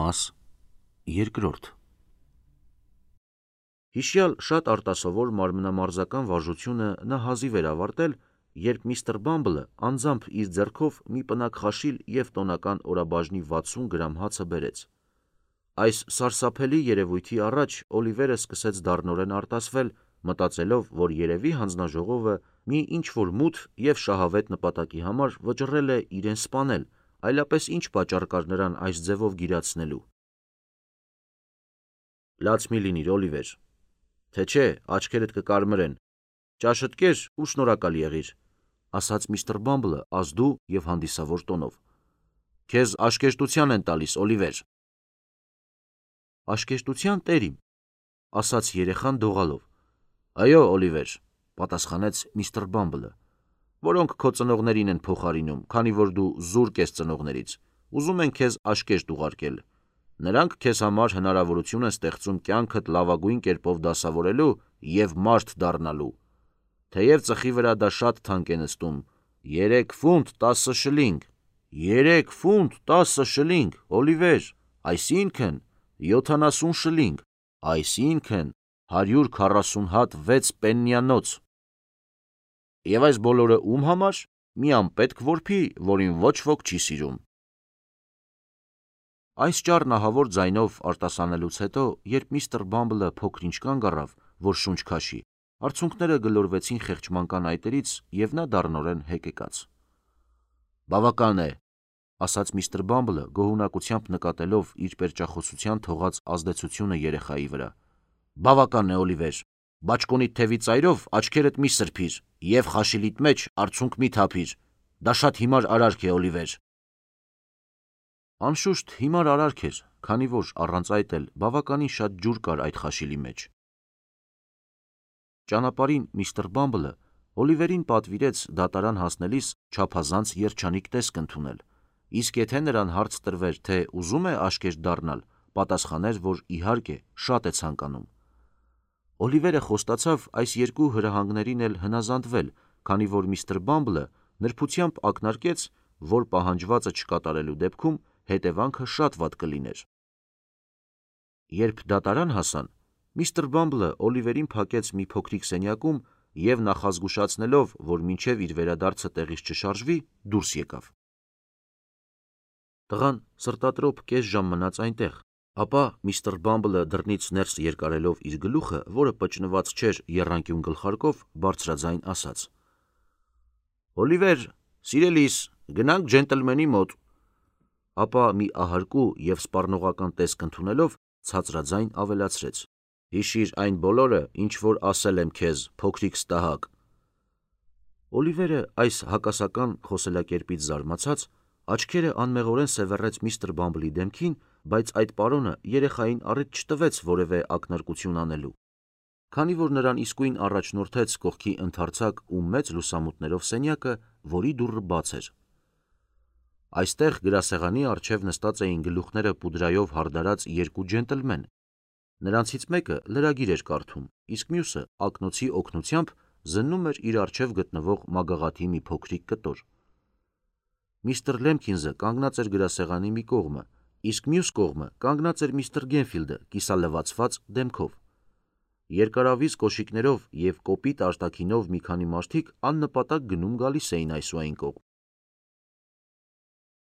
Մաս երկրորդ Հիշյալ շատ արտասովոր մարմնամարզական վարժությունը նա հազիվ էր ավարտել, երբ միստր Բամբլը անձամբ իր ձեռքով մի պնակ խաշիլ և տոնական օրաբաժնի 60 գրամ հացը բերեց։ Այս սարսափելի երևույթի առաջ Օլիվերը սկսեց դառնորեն արտասվել, մտածելով, որ երևի հանձնաժողովը մի ինչ-որ մութ և շահավետ նպատակի համար վճռել է իրեն սպանել, այլապես ինչ պատճառ կար նրան այս ձևով գիրացնելու։ Լաց մի լինիր, Օլիվեր, թե չէ աչքերդ կկարմրեն, ճաշդ կեր ու շնորհակալ եղիր, ասաց միստր Բամբլը ազդու և հանդիսավոր տոնով։ Քեզ աշկերտության են տալիս, Օլիվեր։ Աշկերտության տերիմ, ասաց երեխան դողալով։ Այո, Օլիվեր, պատասխանեց միստր Բամբլը, որոնք քո ծնողներին են փոխարինում, քանի որ դու զուրկ ես ծնողներից, ուզում են քեզ աշկերտ ուղարկել։ Նրանք քեզ համար հնարավորություն են ստեղծում կյանքդ լավագույն կերպով դասավորելու և մարդ դառնալու։ Թեև ծխի վրա դա շատ թանկ է նստում, 3 ֆունտ 10 շլինգ, 3 ֆունտ 10 շլինգ, Օլիվեր, այսինքն 70 շլինգ, այսինքն 140 հատ 6 պեննիանոց։ Եվ այս բոլորը ում համար։ Մի անպետք որբի, որին ոչ ոք չի սիրում։ Այս ճառն ահավոր ձայնով արտասանելուց հետո, երբ միստր Բամբլը փոքր-ինչ կանգ առավ, որ շունչ քաշի, արցունքները գլորվեցին խեղճմանկան այտերից, և նա դառնորեն հեկեկաց։ Բավական է, ասաց միստր Բամբլը, գոհունակությամբ նկատելով իր պերճախոսության թողած ազդեցությունը երեխայի վրա։ Բավական է, Օլիվեր, բաճկոնիդ թևի ծայրով աչքերդ մի սրբիր և խաշիլիդ մեջ արցունք մի թափիր, դա շատ հիմար արարք է, Օլիվեր։ Անշուշտ հիմար արարք էր, քանի որ առանց այդ էլ բավականին շատ ջուր կար այդ խաշիլի մեջ։ Ճանապարհին միստր Բամբլը Օլիվերին պատվիրեց դատարան հասնելիս չափազանց երջանիկ տեսք ընդունել, իսկ եթե նրան հարց տրվեր, թե ուզում է աշկերտ դառնալ, պատասխաներ, որ իհարկե շատ է ցանկանում։ Օլիվերը խոստացավ այս երկու հրահանգներին էլ հնազանդվել, քանի որ միստր Բամբլը նրբությամբ ակնարկեց, որ պահանջվածը չկատարելու դեպքում հետևանքը շատ վատ կլիներ։ Երբ դատարան հասան, միստր Բամբլը Օլիվերին փակեց մի փոքրիկ սենյակում և նախազգուշացնելով, որ մինչև իր վերադարձը տեղից չշարժվի, դուրս եկավ։ Տղան սրտատրոփ կես ժամ մնաց այնտեղ, ապա միստր Բամբլը դռնից ներս երկարելով իր գլուխը, որը պճնված չէր եռանկյուն գլխարկով, բարձրաձայն ասաց. Օլիվեր, սիրելիս, գնանք ջենտլմենի մոտ։ Ապա մի ահարկու և սպառնողական տեսք ընդունելով, ցածրաձայն ավելացրեց. Հիշիր այն բոլորը, ինչ որ ասել եմ քեզ, փոքրիկ ստահակ։ Օլիվերը այս հակասական խոսելակերպից զարմացած, աչքերը անմեղորեն սևեռեց միստր Բամբլի դեմքին, բայց այդ պարոնը երեխային առիթ չտվեց որևէ ակնարկություն անելու, քանի որ նրան իսկույն առաջնորդեց կողքի ընդարձակ ու մեծ լուսամուտներով սենյակը, որի դուռը բաց էր։ Այստեղ գրասեղանի առջև նստած էին գլուխները պուդրայով հարդարած երկու ջենտլմեն։ Նրանցից մեկը լրագիր էր կարդում, իսկ մյուսը ակնոցի օգնությամբ զննում էր իր առջև գտնվող մագաղաթի մի փոքրիկ կտոր։ Միստր Լեմքինզը կանգնած էր գրասեղանի մի կողմը, իսկ մյուս կողմը կանգնած էր միստր Գենֆիլդը կիսալվացված դեմքով։ Երկարավիզ կոշիկներով և կոպիտ արտաքինով մի քանի մարդիկ աննպատակ գնում-գալիս էին այս ու այն կողմ։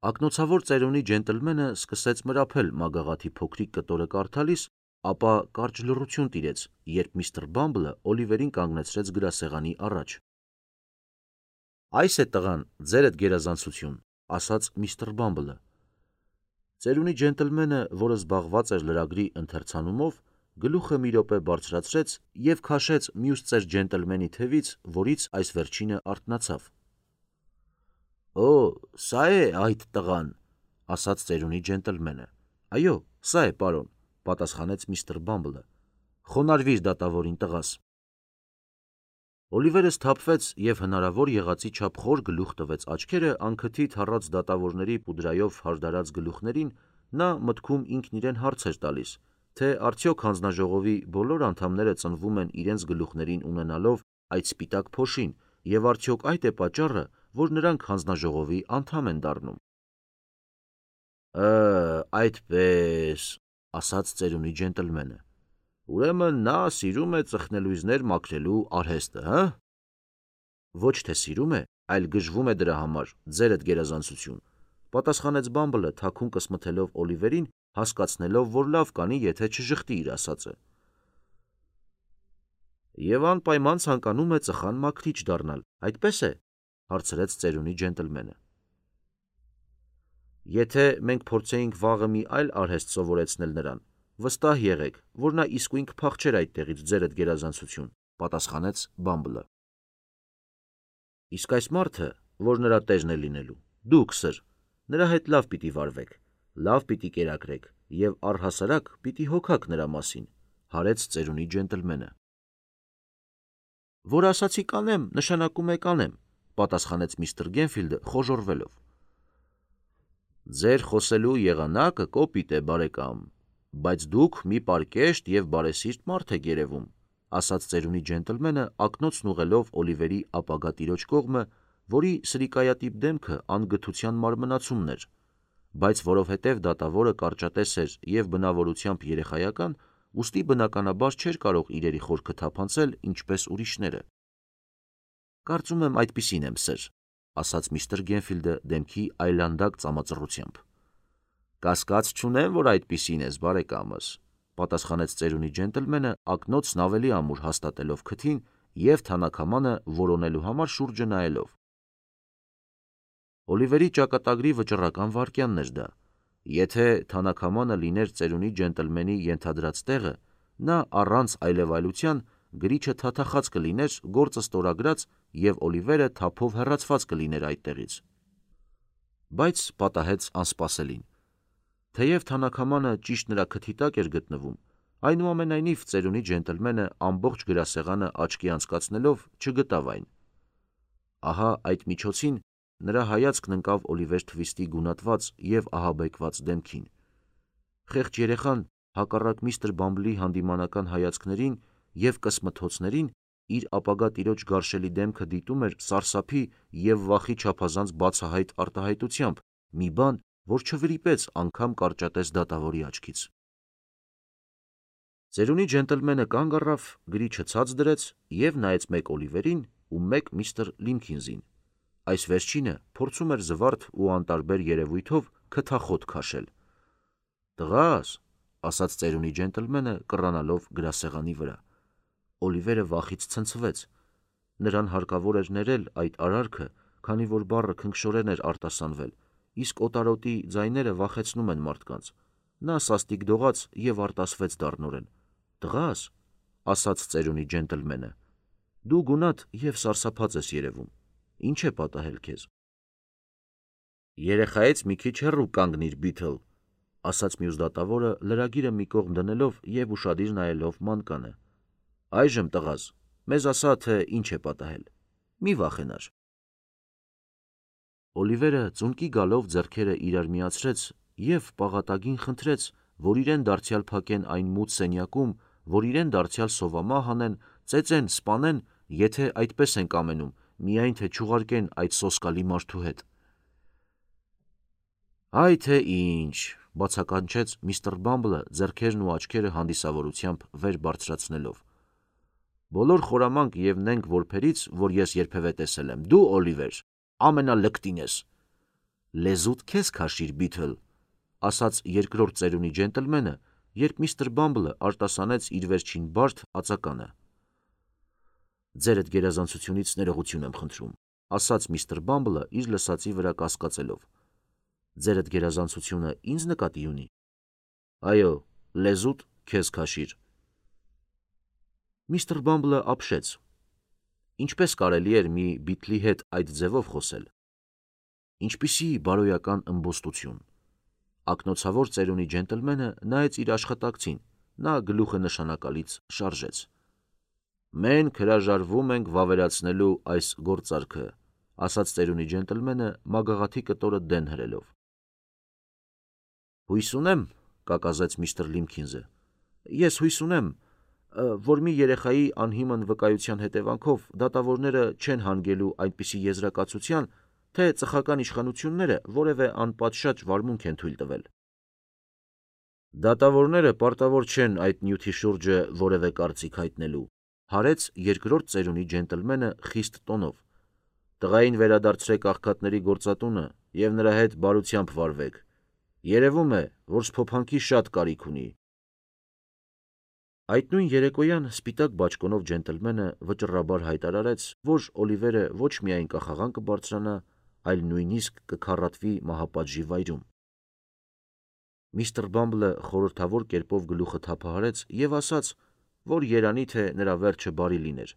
Ակնոցավոր ծերունի ջենտլմենը սկսեց մրափել մագաղաթի փոքրիկ կտորը կարդալիս, ապա կարճ լռություն տիրեց, երբ միստր Բամբլը Օլիվերին կանգնեցրեց գրասեղանի առաջ։ Այս է տղան, ձերդ գերազանցություն, ասաց միստր Բամբլը։ Ծերունի ջենտլմենը, որը զբաղված էր լրագրի ընթերցանումով, գլուխը մի րոպե բարձրացրեց և քաշեց մյուս ծեր ջենտլմենի թևից, որից այս վերջինը արթնացավ։ Օ, սա է այդ տղան, ասաց ծերունի ջենտլմենը։ Այո, սա է, պարոն, պատասխանեց միստր Բամբլը։ Խոնարհվիր դատավորին, տղաս։ Օլիվերը սթափվեց և հնարավոր եղածի չափ խոր գլուխ տվեց աչքերը անքթի թառած դատավորների պուդրայով հարդարած գլուխներին, նա մտքում ինքն իրեն հարց էր տալիս, թե արդյոք հանձնաժողովի բոլոր անդամները ծնվում են իրենց գլուխներին ունենալով այդ սպիտակ փոշին, և արդյոք այդ է պատճառը, որ նրանք հանձնաժողովի անդամ են դառնում։ այդպես, ասաց ծերունի ջենտլմենը։ Ուրեմն նա սիրում է ծխնելույզներ մաքրելու արհեստը, հա։ Ոչ թե սիրում է, այլ գժվում է դրա համար, ձերդ գերազանցություն, պատասխանեց Բամբլը թաքուն կսմթելով Օլիվերին, հասկացնելով, որ լավ կանի, եթե չժխտի իր ասածը։ Եվ անպայման ցանկանում է ծխան մաքրիչ դառնալ, այդպես է, հարցրեց ծերունի ջենտլմենը։ Եթե մենք փորձեինք վաղը մի այլ արհեստ սովորեցնել նրան, վստահ եղեք, որ նա իսկույն կփախչեր այդտեղից, ձերդ գերազանցություն, պատասխանեց Բամբլը։ Իսկ այս մարդը, որ նրա տերն է լինելու, դուք, սր, նրա հետ լավ պիտի վարվեք, լավ պիտի կերակրեք եւ առհասարակ պիտի հոգաք նրա մասին, հարեց ծերունի ջենտլմենը։ Որ ասացի կանեմ, նշանակում է կանեմ, պատասխանեց միստր Գենֆիլդը խոժոռվելով։ Ձեր խոսելու եղանակը կոպիտ է, բարեկամ, բայց դուք մի պարկեշտ եւ բարեսիրտ մարդ եք երևում, ասաց ծերունի ջենտլմենը ակնոցն ուղղելով Օլիվերի ապագա տիրոջ կողմը, որի սրիկայատիպ դեմքը անգթության մարմնացումն էր, բայց որովհետև դատավորը կարճատես էր եւ բնավորությամբ երեխայական, ուստի բնականաբար չէր կարող իրերի խորքը թափանցել ինչպես ուրիշները։ Կարծում եմ այդպիսին եմ, սր, ասաց միստր Գենֆիլդը դեմքի այլանդակ ծամածռությամբ։ Կասկած չունեմ, որ այդպիսին ես, բարեկամս, պատասխանեց ծերունի ջենտլմենը ակնոցն ավելի ամուր հաստատելով քթին եւ թանաքամանը որոնելու համար շուրջը նայելով։ Օլիվերի ճակատագրի վճռական վայրկյանն էր դա։ Եթե թանաքամանը լիներ ծերունի ջենտլմենի ենթադրած տեղը, նա առանց այլևայլության գրիչը թաթախած կլիներ, գործը ստորագրած եւ Օլիվերը թափով հեռացված կլիներ այդտեղից։ Բայց պատահեց անսպասելին։ Թեև թանաքամանը ճիշտ նրա քթի տակ էր գտնվում, այնուամենայնիվ ծերունի ջենտլմենը ամբողջ գրասեղանը աչքի անցկացնելով չգտավ այն։ Ահա այդ միջոցին նրա հայացքն ընկավ Օլիվեր Թվիստի գունատված եւ ահաբեկված դեմքին։ Խեղճ երեխան, հակառակ միստր Բամբլի հանդիմանական հայացքներին եւ կսմթոցներին, իր ապագա տիրոջ գարշելի դեմքը դիտում էր սարսափի եւ վախի չափազանց բացահայտ արտահայտությամբ, մի բան, որ չվրիպեց անգամ կարճատես դատավորի աչքից։ Ծերունի ջենտլմենը կանգ առավ, գրիչը ցած դրեց եւ նայեց մեկ Օլիվերին ու մեկ միստր Լիմքինզին։ Այս վերջինը փորձում էր զվարթ ու անտարբեր երևույթով քթախոտ քաշել։ Տղաս, ասաց ծերունի ջենտլմենը կռանալով գրասեղանի վրա։ Օլիվերը վախից ցնցվեց։ Նրան հարկավոր էր ներել այդ արարքը, քանի որ բառը քնքշորեն էր արտասանվել, իսկ օտարոտի ձայները վախեցնում են մարդկանց։ Նա սաստիկ դողաց եւ արտասվեց դառնորեն։ Տղաս, ասաց ծերունի ջենտլմենը, դու գունատ եւ սարսափած ես երևում։ Ինչ է պատահել քեզ։ Երեխայից մի քիչ հեռու կանգնիր, Բիթլ, ասաց մյուս դատավորը լրագիրը մի կողմ դնելով եւ ուշադիր նայելով մանկանը։ Այժմ տղաս, մեզ ասա, թե ինչ է պատահել։ Մի վախենար։ Օլիվերը ծունկի գալով ձեռքերը իրար միացրեց եւ պաղատագին խնդրեց, որ իրեն դարձյալ փակեն այն մութ սենյակում, որ իրեն դարձյալ սովամահ անեն, ծեծեն, սպանեն, եթե այդպես են կամենում, միայն թե չուղարկեն այդ սոսկալի մարդու հետ։ Այ թե ինչ, բացականչեց միստր Բամբլը ձեռքերն ու աչքերը հանդիսավորությամբ վեր բարձրացնելով։ Բոլոր խորամանկ եւ նենգ որբերից, որ ես երբևէ տեսել եմ, դու, Օլիվեր, ամենալկտին ես։ Լեզուտ քեզ քաշիր, Բիթլ, ասաց երկրորդ ծերունի ջենտլմենը, երբ միստր Բամբլը արտասանեց իր վերջին բարդ ածականը։ Ձերդ գերազանցությունից ներողություն եմ խնդրում, ասաց միստր Բամբլը իր լսածի վրա կասկածելով։ Ձերդ գերազանցությունը ինձ նկատի ունի։ Այո, լեզուտ քեզ քաշիր։ Միստր Բամբլը ապշեց։ Ինչպես կարելի էր մի Բիթլի հետ այդ ձևով խոսել։ Ինչպիսի բարոյական ըմբոստություն։ Ակնոցավոր ծերունի ջենտլմենը նայեց իր աշխատակցին, նա գլուխը նշանակալից շարժեց։ Մենք հրաժարվում ենք վավերացնելու այս գործարքը, ասաց ծերունի ջենտլմենը մագաղաթի կտորը դեն հրելով։ Հույս ունեմ, կակազեց միստր Լիմքինզը։ Ես հույս ունեմ, որ մի երեխայի անհիմն վկայության հետևանքով դատավորները չեն հանգելու այնպիսի եզրակացության, թե ծխական իշխանությունները որևէ անպատշաճ վարմունք են թույլ տվել։ Դատավորները պարտավոր չեն այդ նյութի շուրջը որևէ կարծիք հայտնելու, հարեց երկրորդ ծերունի ջենտլմենը խիստ տոնով։ Տղային վերադարձրեք աղքատների գործատունը և նրա հետ բարությամբ վարվեք։ Երևում է, որ սփոփանքի շատ կարիք ունի։ Այդ նույն երեկոյան սպիտակ բաճկոնով ջենտլմենը վճռաբար հայտարարեց, որ Օլիվերը ոչ միայն կախաղան կբարձրանա, այլ նույնիսկ կքառատվի մահապատժի վայրում։ Միսթր Բամբլը խորհրդավոր կերպով գլուխը թափահարեց և ասաց, որ երանի թե նրա վերջը բարի լիներ,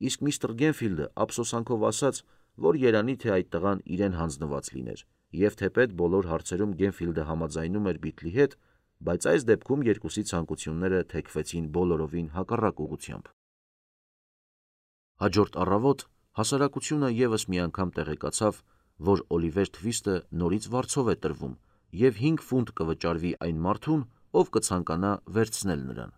իսկ միստր Գենֆիլդը ափսոսանքով ասաց, որ երանի թե այդ տղան իրեն հանձնված լիներ, և թեպետ բոլոր հարցերում Գենֆիլդը համաձայնում էր Բիթլի հետ, բայց այս դեպքում երկուսի ցանկությունները թեքվեցին բոլորովին հակառակ ուղղությամբ։ Հաջորդ առավոտ հասարակությունը ևս մի անգամ տեղեկացավ, որ Օլիվեր Թվիստը նորից վարձով է տրվում և 5 ֆունտ կվճարվի այն մարդուն, ով կցանկանա վերցնել նրան։